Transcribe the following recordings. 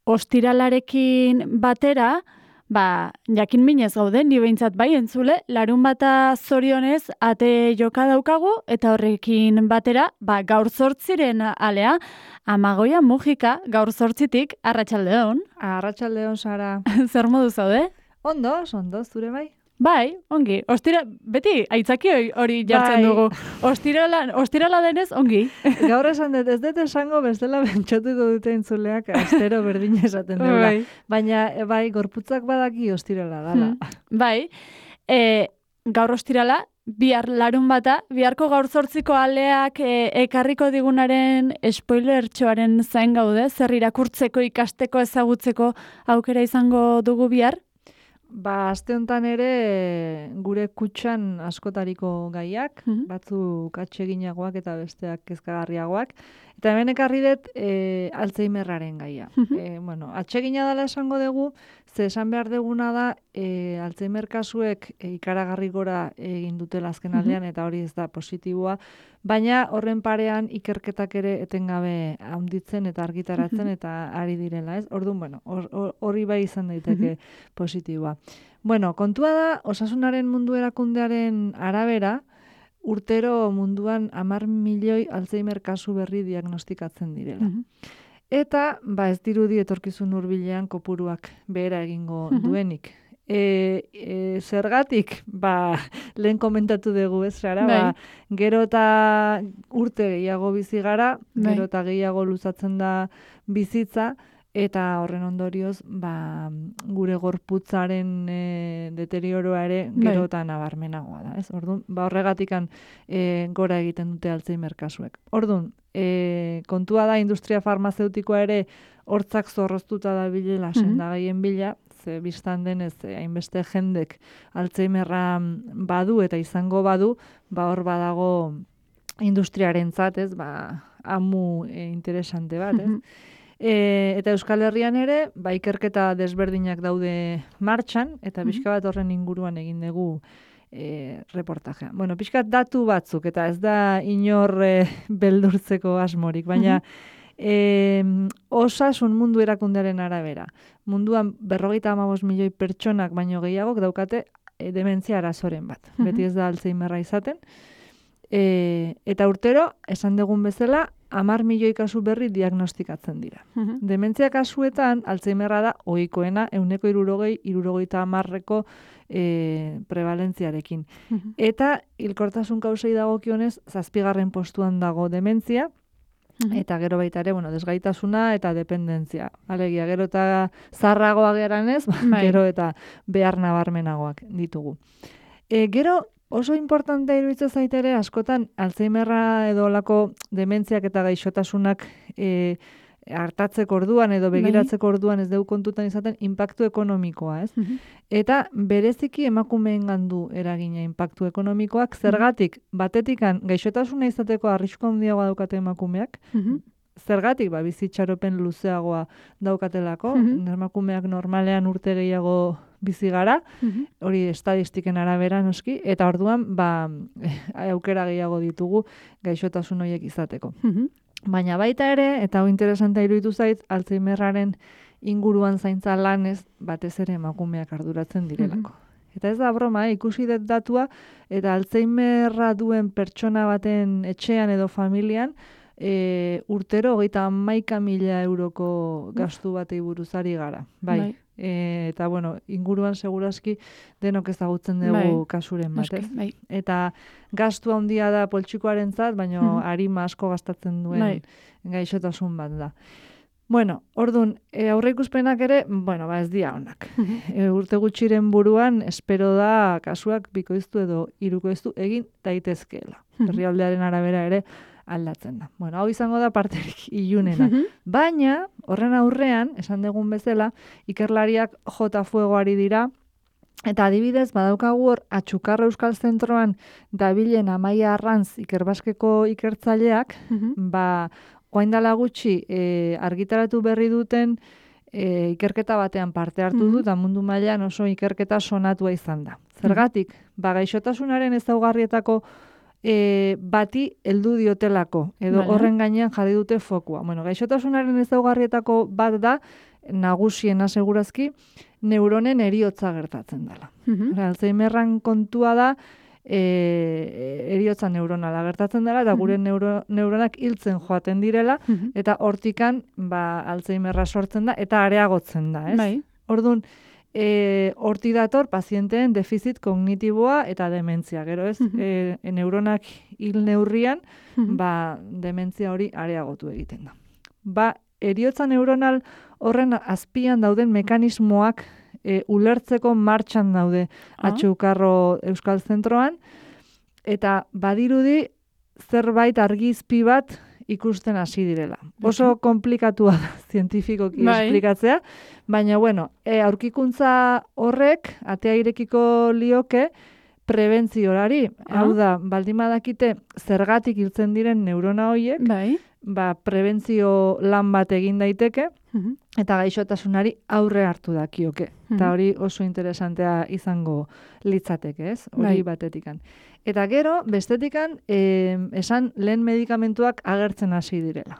ostiralarekin batera, jakin minez gaude, ni behintzat bai entzule, larun bata zorionez ate joka daukagu, eta horrekin batera, gaur 8 alea, Amagoia Mujika, gaur 8tik, arratsaldeon. Arratsaldeon, Sara. Zer modu zaude? Ondo, zure bai? Bai, ongi. Beti, aitzaki hori jartzen dugu. Ostirala denez, ongi. Gaur esan dut, ez dut esango bestela bentsatuko dute entzuleak astero berdin esaten dela. Baina, gorputzak badaki ostirala dala. Bai, gaur ostirala, bihar larun bata, biharko gaur 8ko aleak ekarriko digunaren spoilertxoaren zain gaude, zer irakurtzeko, ikasteko, ezagutzeko aukera izango dugu bihar? Aste honetan ere gure kutxan askotariko gaiak, batzuk atseginagoak eta besteak kezkagarriagoak. Eta hemen ekarri dut Alzheimerraren gaia. Atsegina dela esango dugu, ze esan behar duguna da Alzheimer kasuek ikaragarri gora egin dutela azken aldean, eta hori ez da positiboa, baina horren parean ikerketak ere etengabe handitzen eta argitaratzen eta ari direla, ez? Orduan, hori bai izan daiteke positiboa. Kontua da, Osasunaren Mundu Erakundearen arabera, urtero munduan 10 milioi Alzheimer kasu berri diagnostikatzen direla. Eta, ez dirudi etorkizun hurbilean kopuruak behera egingo duenik. Zergatik, lehen komentatu dugu ez, Sara, gero eta urte gehiago bizi gara, gero eta gehiago luzatzen da bizitza, eta horren ondorioz, gure gorputzaren deterioroa ere gero eta nabarmenagoa da, ez? Orduan, horregatikan gora egiten dute Alzheimer kasuek. Orduan, kontua da industria farmazeutikoa ere hortzak zorroztuta da bilela sendagaien bila, ze biztan denez hainbeste jendek Alzheimerra badu eta izango badu, hor badago industriarentzat, ez, amu interesante bat, ez? Eta Euskal Herrian ere, ikerketa desberdinak daude martxan, eta pixka bat horren inguruan egin dugu reportajea. Pixka datu batzuk, eta ez da inor beldurtzeko asmorik, baina Osasun Mundu Erakundearen arabera. Munduan 55 milioi pertsonak baino gehiagok daukate dementzia arazoren bat. Beti ez da Alzheimerra izaten. Eta urtero, esan dugun bezala, 10 milioi kasu berri diagnostikatzen dira. Dementzia kasuetan, Alzheimerra da ohikoena 60-70ko prevalentziarekin. Eta hilkortasun kausei dagokionez, 7. postuan dago dementzia, eta gero baita ere, desgaitasuna eta dependentzia. Alegia, gero eta zarragoa geranez, gero eta behar nabarmenagoak ditugu. Gero, oso importantea iruditzen zait ere, askotan Alzheimerra edo olako dementziak eta gaixotasunak hartatzeko orduan edo begiratzeko orduan ez dugu kontutan izaten inpaktu ekonomikoa, ez? Eta bereziki emakumeengan du eragina inpaktu ekonomikoak, zergatik batetikan gaixotasuna izateko arrisku handiagoa daukate emakumeak, zergatik bizitxaropen luzeagoa daukatelako, emakumeak normalean urte gehiago bizi gara, hori estadistiken arabera noski, eta orduan aukera gehiago ditugu gaixotasun horiek izateko. Baina baita ere, eta hau interesantea iruditu zait, Alzheimerraren inguruan zaintza lanez batez ere emakumeak arduratzen direlako. Eta ez da broma, ikusi dut datua, eta Alzheimerra duen pertsona baten etxean edo familian, urtero 31.000 euroko gastu batei buruzari gara. Bai. Eta, inguruan seguraski denok ezagutzen dugu kasuren bat, ez? Eta gastu handia da poltsikoarentzat, baina arima asko gastatzen duen gaixotasun bat da. Orduan, aurreikuspenak ere, ez dira onak. Urte gutxiren buruan, espero da kasuak bikoiztu edo hirukoiztu egin daitezkeela. Herrialdearen arabera ere aldatzen da. Hau izango da parterik ilunena. Baina, horren aurrean, esan dugun bezala, ikerlariak jota fuegoari dira, eta adibidez, badaukagu hor, Atxukarra Euskal Zentroan dabilen Amaia Arranz ikerbaskeko ikertzaileak, orain dela gutxi argitaratu berri duten ikerketa batean parte hartu du, eta mundu mailan oso ikerketa sonatua izan da. Zergatik, gaixotasunaren ezaugarrietako bati heldu diotelako, edo horren gainean jarri dute fokua. Gaixotasunaren ezaugarrietako bat da, nagusiena segurazki, neuronen eriotza gertatzen dela. Alzheimerran kontua da, eriotza neuronala gertatzen dela, eta gure neuronak hiltzen joaten direla, eta hortikan Alzheimerra sortzen da, eta areagotzen da, ez? Bai. Orduan, horti dator pazienteen defizit kognitiboa eta dementzia. Gero ez, neuronak hil neurrian, dementzia hori areagotu egiten da. Eriotza neuronal horren azpian dauden mekanismoak ulertzeko martxan daude Atxukarro Euskal Zentroan, eta badirudi zerbait argizpi bat ikusten hasi direla. Oso komplikatua da zientifikoki esplikatzea, baina aurkikuntza horrek atea irekiko lioke prebentziorari. Hau da, baldin badakite zergatik hiltzen diren neurona horiek, prebentzio lan bat egin daiteke, eta gaixotasunari aurre hartu dakioke. Eta hori oso interesantea izango litzateke, ez? Hori batetikan. Eta gero, bestetikan, esan lehen medikamentuak agertzen hasi direla.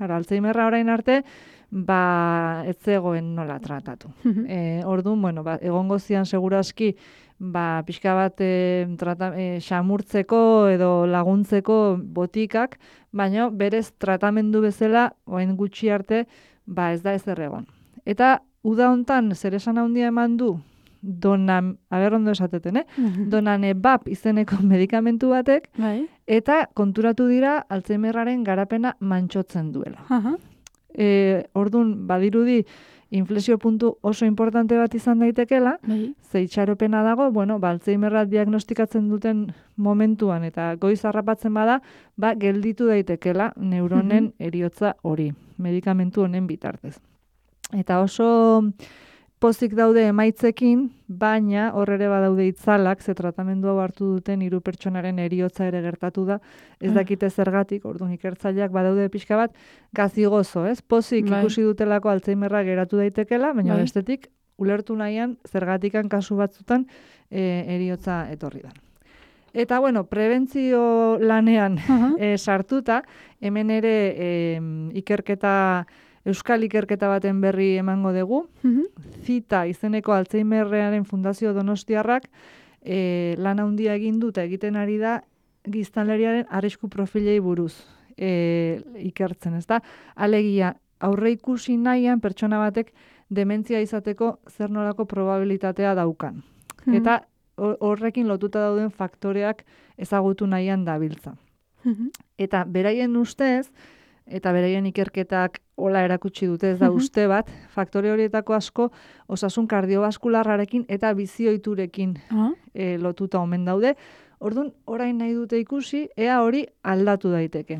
Alzheimerra orain arte, ez zegoen nola tratatu. Orduan, egongo zian segurazki, pixka bat xamurtzeko edo laguntzeko botikak, baina berez tratamendu bezala, orain gutxi arte, ez da ezer egon. Eta uda hontan zer esan handia eman du, ondo esateten, Donanebap izeneko medikamentu batek, eta konturatu dira Alzheimerraren garapena mantxotzen duela. Orduan, badirudi, inflexio puntu oso importante bat izan daitekela, ze itxaropena dago, Alzheimerra diagnostikatzen duten momentuan eta goiz harrapatzen bada, gelditu daitekela neuronen eriotza hori, medikamentu honen bitartez. Eta oso pozik daude emaitzekin, baina hor ere badaude itzalak, ze tratamendu hau hartu duten 3 pertsonaren eriotza ere gertatu da, ez dakite zergatik, orduan ikertzaileak badaude pixka bat, gazigozo, ez? Pozik ikusi dutelako Alzheimerra geratu daitekela, baina bestetik, ulertu nahian, zergatikan kasu batzutan eriotza etorri da. Eta, prebentzio lanean sartuta, hemen ere Euskal ikerketa baten berri emango dugu. Zita izeneko Alzheimerraren Fundazio Donostiarrak lan handia egin dut egiten ari da giztanleriaren arrisku profilei buruz ikertzen, ezta? Alegia, aurre ikusi nahian pertsona batek dementzia izateko zer nolako probabilitatea daukan. Eta horrekin lotuta dauden faktoreak ezagutu nahian dabiltza. Eta beraien ustez, eta beraien ikerketak hola erakutsi dute, ez da uste bat, faktore horietako asko osasun kardiobaskularrarekin eta bizioiturekin lotuta omen daude. Orduan, orain nahi dute ikusi, ea hori aldatu daiteke.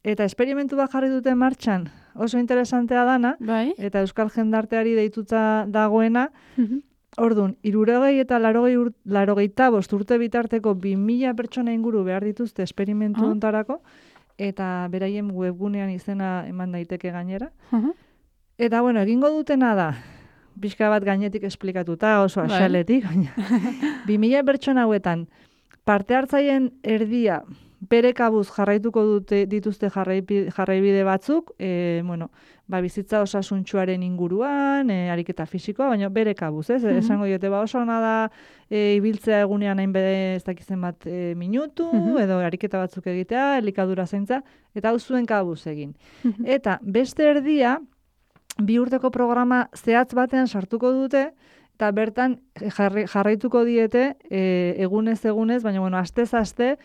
Eta esperimentu bat jarri dute martxan, oso interesantea dana, eta Euskal Jendarteari deituta dagoena, orduan, 60 eta 85 urte bitarteko 2000 pertsona inguru behar dituzte esperimentu hontarako, eta beraien webgunean izena eman daiteke gainera. Eta, egingo dutena da, pixka bat gainetik esplikatuta, oso asaletik, baina 2000 pertsona hauetan, parte hartzaien erdia, bere kabuz jarraituko dituzte jarraibide batzuk, bizitza osasuntsuaren inguruan, ariketa fisikoa, baina bere kabuz, ez? Esango diote, oso ona da ibiltzea egunean hainbede ez dakizen bat minutu, edo ariketa batzuk egitea, elikadura zaintza, eta hau zuen kabuz egin. Eta beste erdia, 2 urteko programa zehatz batean sartuko dute, eta bertan jarraituko diete egunez, baina astez aste,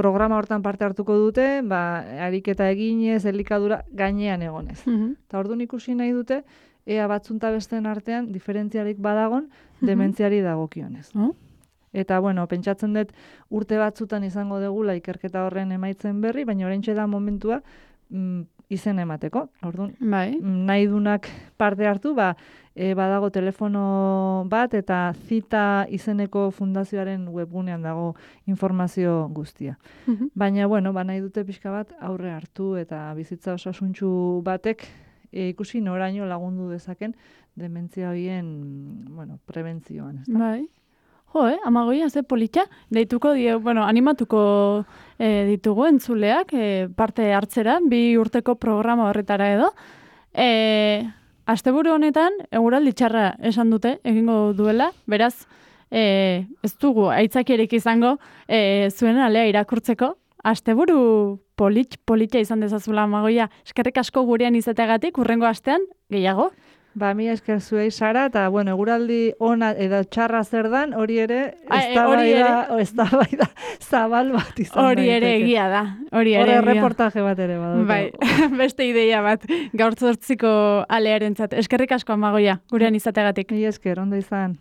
programa hortan parte hartuko dute, ariketa eginez, elikadura gainean egonez. Eta orduan ikusi nahi dute, ea batzunta besteen artean diferentziarik badagon dementziari dagokionez. Eta, pentsatzen dut urte batzutan izango degula ikerketa horren emaitzen berri, baina oraintxe da momentua izen emateko. Orduan, nahi dunak parte hartu, badago telefono bat eta Zita izeneko fundazioaren webgunean dago informazio guztia. Baina, nahi dute pixka bat aurre hartu eta bizitza osasuntsu batek ikusi noraino lagundu dezaken dementzia horien, prebentzioan. Amagoia, ze politxa, deituko animatuko ditugu entzuleak parte hartzera, 2 urteko programa horretara edo. asteburu honetan eguraldi txarra esan dute, egingo duela, beraz, ez dugu aitzakierik izango zuen alea irakurtzeko. Asteburu politxa izan dezazula Amagoia. Eskerrik asko gurean izateagatik, urrengo astean, gehiago? Ba, mi esker zuei, Sara, eta, bueno, eguraldi ona edo txarra zer dan, hori ere, eztabaida zabal bat izan hori ere egia da. Hori reportaje bat ere badaukagu. Bai, beste ideia bat, gaur 8ko alearentzat. Eskerrik asko Amagoia, gurean izateagatik. Mi esker, ondo izan.